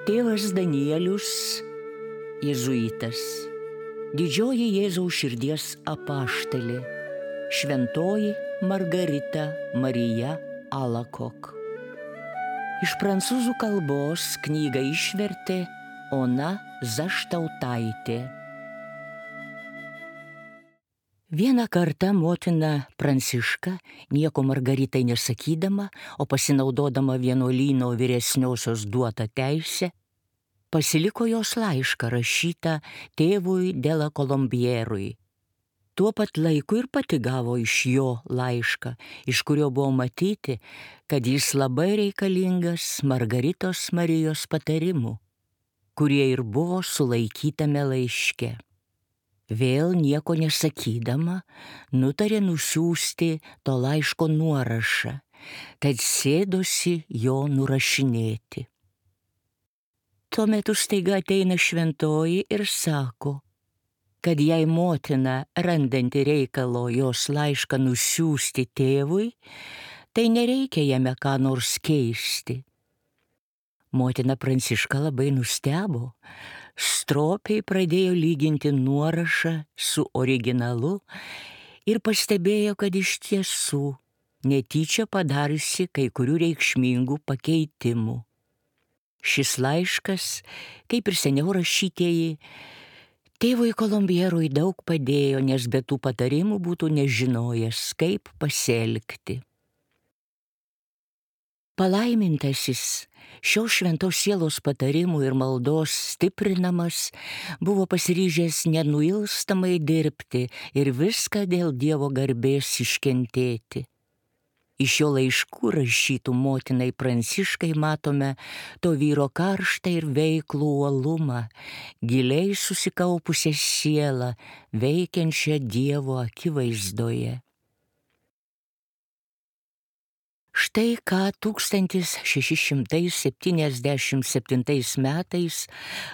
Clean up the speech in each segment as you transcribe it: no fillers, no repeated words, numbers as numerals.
Tėvas Danielius, jėzuitas, didžioji Jėzaus širdies apaštalė, šventoji Margarita Marija Alakok. Iš prancūzų kalbos knygą išvertė Ona Zaštautaitė. Vieną kartą motina Pranciška, nieko Margaritai nesakydama, o pasinaudodama vienuolyno vyresniosios duotą teisę, pasiliko jos laišką rašytą tėvui de la Colombierui. Tuo pat laiku ir pati gavo iš jo laišką, iš kurio buvo matyti, kad jis labai reikalingas Margaritos Marijos patarimų, kurie ir buvo sulaikytame laiške. Vėl nieko nesakydama, nutarė nusiųsti to laiško nuorašą, tad sėdosi jo nurašinėti. Tuo metu staiga ateina šventoji ir sako, kad jei motina, randanti reikalo jos laišką nusiųsti tėvui, tai nereikia jame ką nors keisti. Motina Pranciška labai nustebo, stropiai pradėjo lyginti nuorašą su originalu ir pastebėjo, kad iš tiesų netyčia padariusi kai kurių reikšmingų pakeitimų. Šis laiškas, kaip ir seniau rašytieji, tėvui Kolombierui daug padėjo, nes be tų patarimų būtų nežinojęs, kaip pasielgti. Palaimintasis šios šventos sielos patarimų ir maldos stiprinamas buvo pasiryžęs nenuilstamai dirbti ir viską dėl Dievo garbės iškentėti. Iš jo laiškų rašytų motinai Pranciškai matome to vyro karštą ir veiklų uolumą, giliai susikaupusią sielą, veikiančią Dievo akivaizdoje. Štai ką 1677 metais,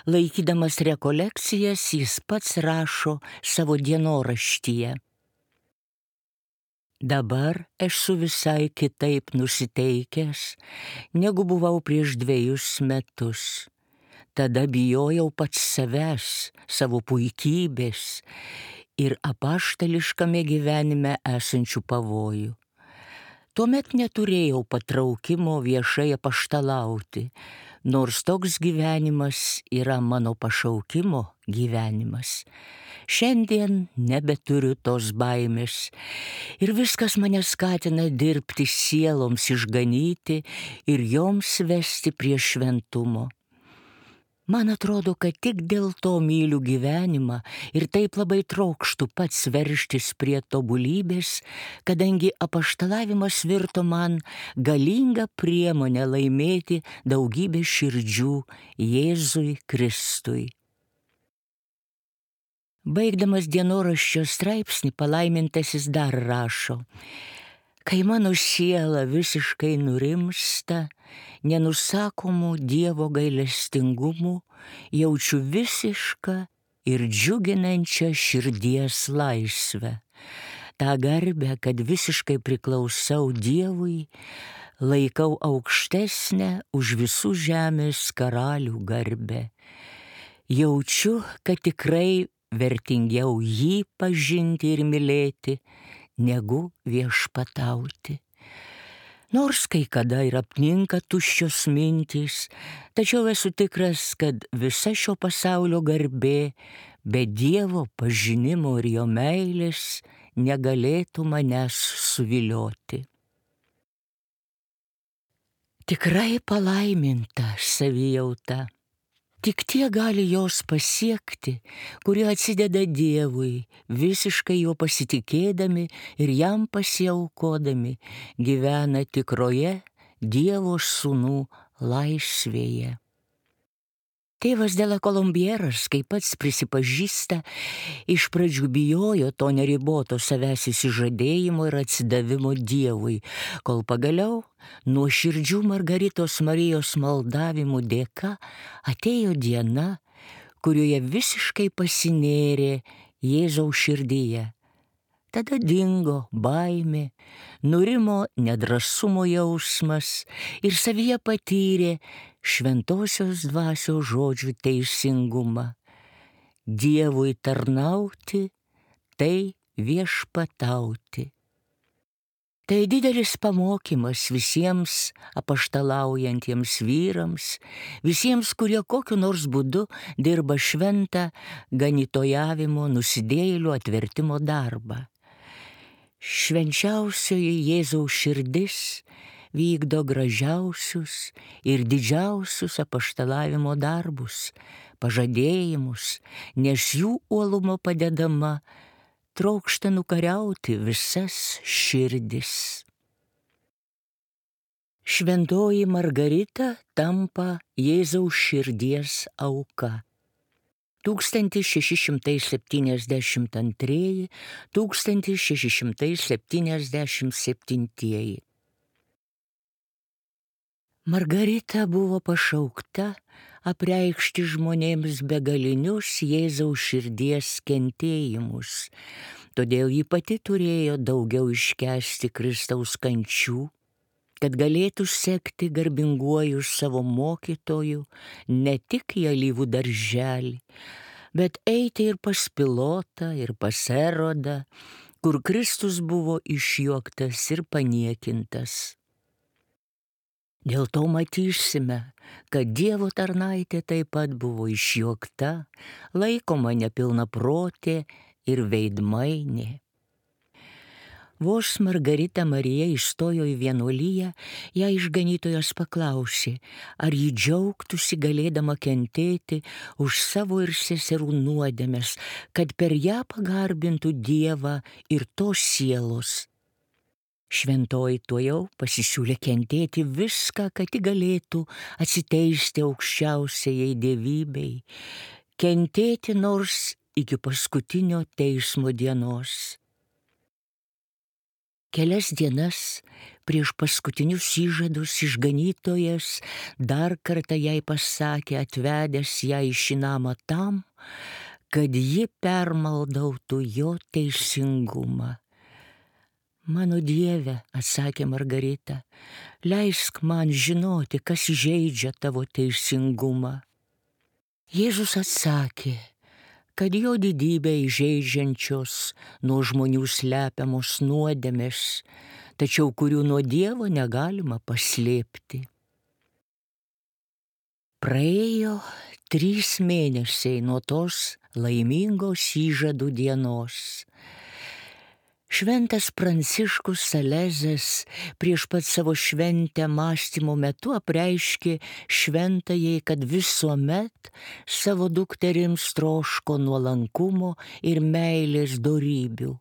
laikydamas rekolekcijas, jis pats rašo savo dienoraštyje. Dabar esu visai kitaip nusiteikęs, negu buvau prieš 2 metus. Tada bijojau pats savęs, savo puikybės ir apaštališkame gyvenime esančių pavojų. Tuomet neturėjau patraukimo viešai apaštalauti, nors toks gyvenimas yra mano pašaukimo gyvenimas. Šiandien nebeturiu tos baimės ir viskas mane skatina dirbti sieloms išganyti ir joms vesti prie šventumo. Man atrodo, kad tik dėl to myliu gyvenimą ir taip labai trokštu pats veržtis prie tobulybės, kadangi apaštalavimas virto man galinga priemonė laimėti daugybę širdžių Jėzui Kristui. Baigdamas dienoraščio straipsnį, palaimintasis dar rašo: kai mano siela visiškai nurimsta, nenusakomų Dievo gailestingumų, jaučiu visišką ir džiuginančią širdies laisvę. Ta garbę, kad visiškai priklausau Dievui, laikau aukštesnę už visų žemės karalių garbę. Jaučiu, kad tikrai vertingiau jį pažinti ir mylėti, negu viešpatauti. Nors kai kada ir apninka tuščios mintys, tačiau esu tikras, kad visa šio pasaulio garbė be Dievo pažinimo ir jo meilės negalėtų manęs suvilioti. Tikrai palaiminta savijauta. Tik tie gali jos pasiekti, kurie atsideda Dievui, visiškai jo pasitikėdami ir jam pasiaukodami, gyvena tikroje Dievo sūnų laisvėje. Tėvas de la Colombieras, kaip pats prisipažįsta, iš pradžių bijojo to neriboto savęs įsižadėjimo ir atsidavimo Dievui, kol pagaliau nuoširdžių Margaritos Marijos maldavimų dėka atėjo diena, kurioje visiškai pasinėrė Jėzaus širdyje, Tada dingo baimė, nurimo nedrąsumo jausmas ir savyje patyrė šventosios dvasios žodžių teisingumą. Dievui tarnauti, tai viešpatauti. Tai didelis pamokymas visiems apaštalaujantiems vyrams, visiems, kurie kokiu nors būdu dirba šventą ganytojavimo, nusidėjėlių atvertimo darbą. Švenčiausioji Jėzaus širdis vykdo gražiausius ir didžiausius apaštalavimo darbus, pažadėjimus, nes jų uolumo padedama trokšta nukariauti visas širdis. Šventoji Margarita tampa Jėzaus širdies auka. 1672–1677. Margarita buvo pašaukta apreikšti žmonėms begalinius Jėzaus širdies kentėjimus, todėl ji pati turėjo daugiau iškęsti Kristaus kančių, kad galėtų sekti garbinguoju savo mokytoju ne tik į alyvų darželį, bet eiti ir pas Pilotą, ir pas Erodą, kur Kristus buvo išjuoktas ir paniekintas. Dėl to matysime, kad Dievo tarnaitė taip pat buvo išjuokta, laikoma nepilnaprotė ir veidmainė. Vos Margarita Marija įstojo į vienuoliją, ją išganytojas paklausė, ar ji džiaugtųsi galėdama kentėti už savo ir seserų nuodėmes, kad per ją pagarbintų Dievą ir tos sielos. Šventoji tuojau pasisiūlė kentėti viską, kad ji galėtų atsiteisti aukščiausiajai dievybei, kentėti nors iki paskutinio teismo dienos. Kelias dienas prieš paskutinius įžadus išganytojas dar kartą jai pasakė, atvedęs ją į šį namą tam, kad ji permaldautų jo teisingumą. Mano Dieve, atsakė Margarita, leisk man žinoti, kas žeidžia tavo teisingumą. Jėzus atsakė, kad jo didybę įžeidžiančios nuo žmonių slepiamos nuodėmės, tačiau kurių nuo Dievo negalima paslėpti. Praėjo 3 mėnesiai nuo tos laimingos įžadų dienos. Šventas Pranciškus Salezas prieš pat savo šventę mąstymo metu apreiškė šventajai, kad visuomet savo dukterims troško nuolankumo ir meilės dorybių.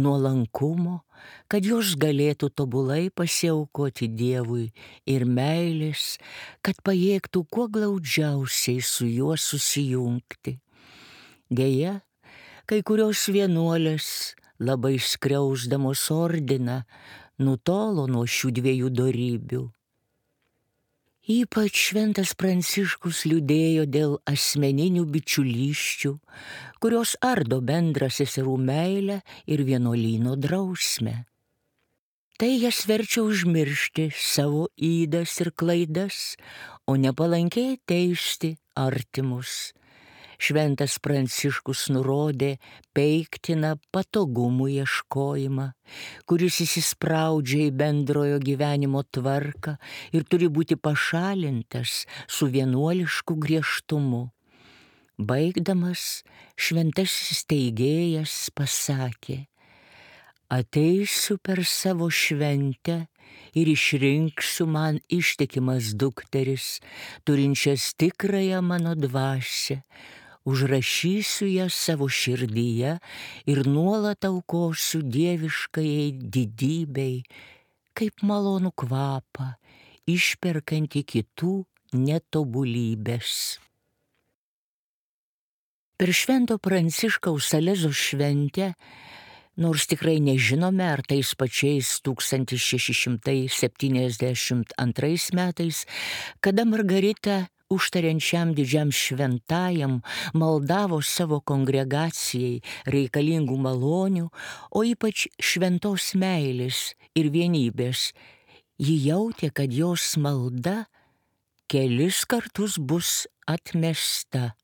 Nuolankumo, kad jos galėtų tobulai pasiaukoti Dievui, ir meilės, kad pajėgtų kuo glaudžiausiai su juo susijungti. Deja, kai kurios vienuolės, labai skriausdamos ordiną, nutolo nuo šių 2 dorybių. Ypač šventas Pranciškus liūdėjo dėl asmeninių bičiulysčių, kurios ardo bendrą seserų meilę ir vienuolyno drausmę. Tai jas verčia užmiršti savo ydas ir klaidas, o nepalankiai teisti artimus. Šventas Pranciškus nurodė peiktiną patogumų ieškojimą, kuris įsispraudžia į bendrojo gyvenimo tvarką ir turi būti pašalintas su vienuolišku griežtumu. Baigdamas, šventasis teigėjas pasakė, ateisiu per savo šventę ir išrinksiu man ištikimas dukteris, turinčias tikrąją mano dvasią, užrašysiu ją savo širdyje ir nuolat aukosiu dieviškajai didybei, kaip malonų kvapą, išperkantį kitų netobulybės. Per Švento Pranciškaus Salezo šventę, nors tikrai nežinome, ar tais pačiais 1672 metais, kada Margarita užtariančiam didžiam šventajam maldavo savo kongregacijai reikalingų malonių, o ypač šventos meilės ir vienybės. Ji jautė, kad jos malda kelis kartus bus atmesta.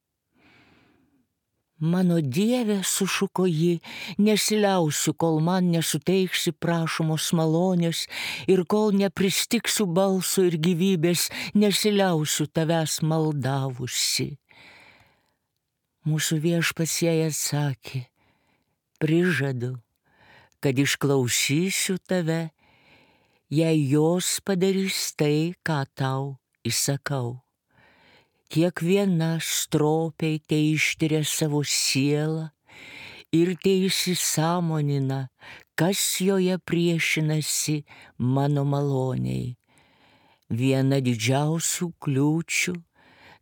Mano Dieve, sušuko ji, nesiliausiu, kol man nesuteiksi prašomos malonės ir kol nepristiksiu balso ir gyvybės, nesiliausiu tavęs maldavusi. Mūsų Viešpats jai atsakė, prižadu, kad išklausysiu tave, jei jos padarys tai, ką tau įsakau. Kiekviena stropiai teištiria savo sielą ir teįsisąmonina, kas joje priešinasi mano maloniai. Viena didžiausių kliūčių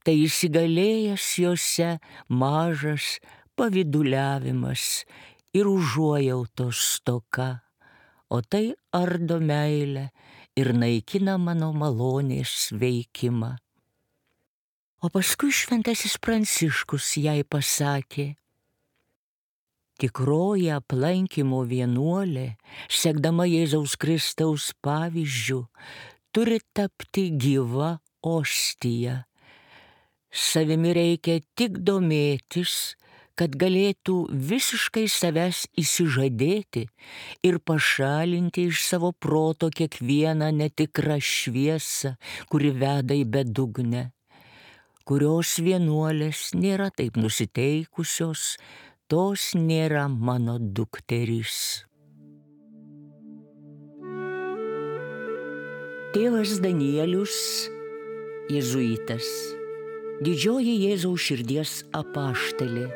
tai įsigalėjęs jose mažas pavyduliavimas ir užuojautos stoka, o tai ardo meilę ir naikina mano malonės veikimą. O paskui šventasis Pranciškus jai pasakė, tikroji aplankymo vienuolė, sekdama Jėzaus Kristaus pavyzdžiu, turi tapti gyva ostija. Savimi reikia tik domėtis, kad galėtų visiškai savęs įsižadėti ir pašalinti iš savo proto kiekvieną netikrą šviesą, kuri veda į bedugnę. Kurios vienuolės nėra taip nusiteikusios, tos nėra mano dukterys. Tėvas Danielius, jėzuitas, didžioji Jėzaus širdies apaštalė,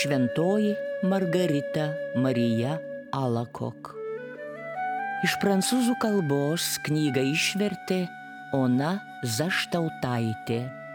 šventoji Margarita Marija Alakok. Iš prancūzų kalbos knygą išvertė Ona Zaštautaitė.